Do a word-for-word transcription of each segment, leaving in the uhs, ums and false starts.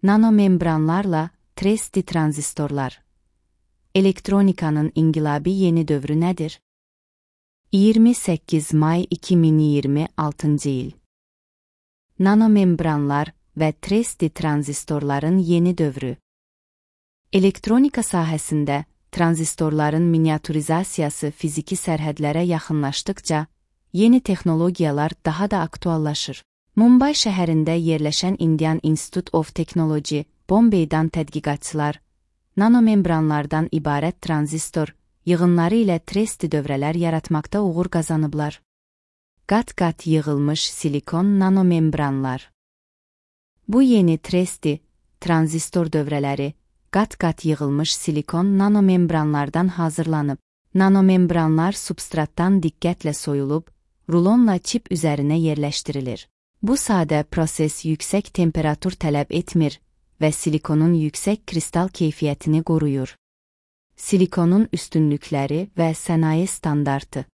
Nanomembranlarla tresti tranzistorlar. Elektronikanın inqilabi yeni dövrü nədir? iyirmi səkkiz may iki min iyirmi altıncı il. Nanomembranlar və tresti tranzistorların yeni dövrü. Elektronika sahəsində tranzistorların miniaturizasiyası fiziki sərhədlərə yaxınlaşdıqca, yeni texnologiyalar daha da aktuallaşır. Mumbay şəhərində yerləşən Indian Institute of Technology, Bombay'dan tədqiqatçılar, nanomembranlardan ibarət tranzistor yığınları ilə tresti dövrələr yaratmaqda uğur qazanıblar. Qat-qat yığılmış silikon nanomembranlar. Bu yeni tresti, tranzistor dövrələri, qat-qat yığılmış silikon nanomembranlardan hazırlanıb. Nanomembranlar substratdan diqqətlə soyulub, rulonla çip üzərinə yerləşdirilir. Bu sadə proses yüksək temperatur tələb etmir və silikonun yüksək kristal keyfiyyətini qoruyur. Silikonun üstünlükləri və sənaye standartı.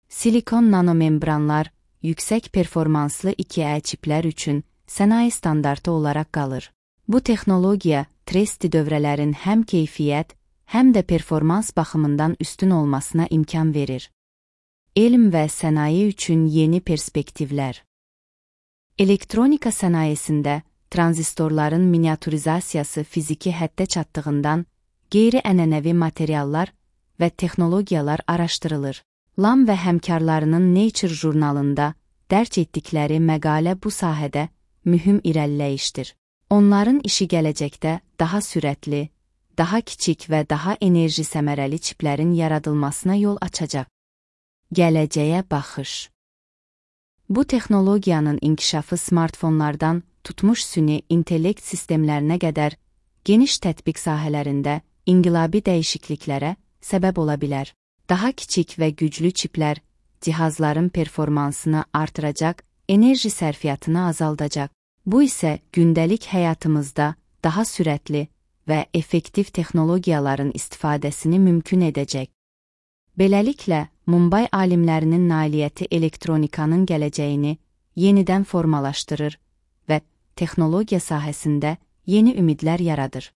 Silikon nanomembranlar yüksək performanslı iki E çiplər üçün sənaye standartı olaraq qalır. Bu texnologiya tresti dövrələrin həm keyfiyyət, həm də performans baxımından üstün olmasına imkan verir. Elm və sənaye üçün yeni perspektivlər. Elektronika sənayesində tranzistorların miniaturizasiyası fiziki həddə çatdığından qeyri-ənənəvi materiallar və texnologiyalar araşdırılır. Lam və həmkarlarının Nature jurnalında dərc etdikləri məqalə bu sahədə mühüm irəliləyişdir. Onların işi gələcəkdə daha sürətli, daha kiçik və daha enerji səmərəli çiplərin yaradılmasına yol açacaq. Gələcəyə baxış. Bu texnologiyanın inkişafı smartfonlardan tutmuş süni intellekt sistemlərinə qədər geniş tətbiq sahələrində inqilabi dəyişikliklərə səbəb ola bilər. Daha kiçik və güclü çiplər cihazların performansını artıracaq, enerji sərfiyyatını azaldacaq. Bu isə gündəlik həyatımızda daha sürətli və effektiv texnologiyaların istifadəsini mümkün edəcək. Beləliklə, Mumbay alimlərinin nailiyyəti elektronikanın gələcəyini yenidən formalaşdırır və texnologiya sahəsində yeni ümidlər yaradır.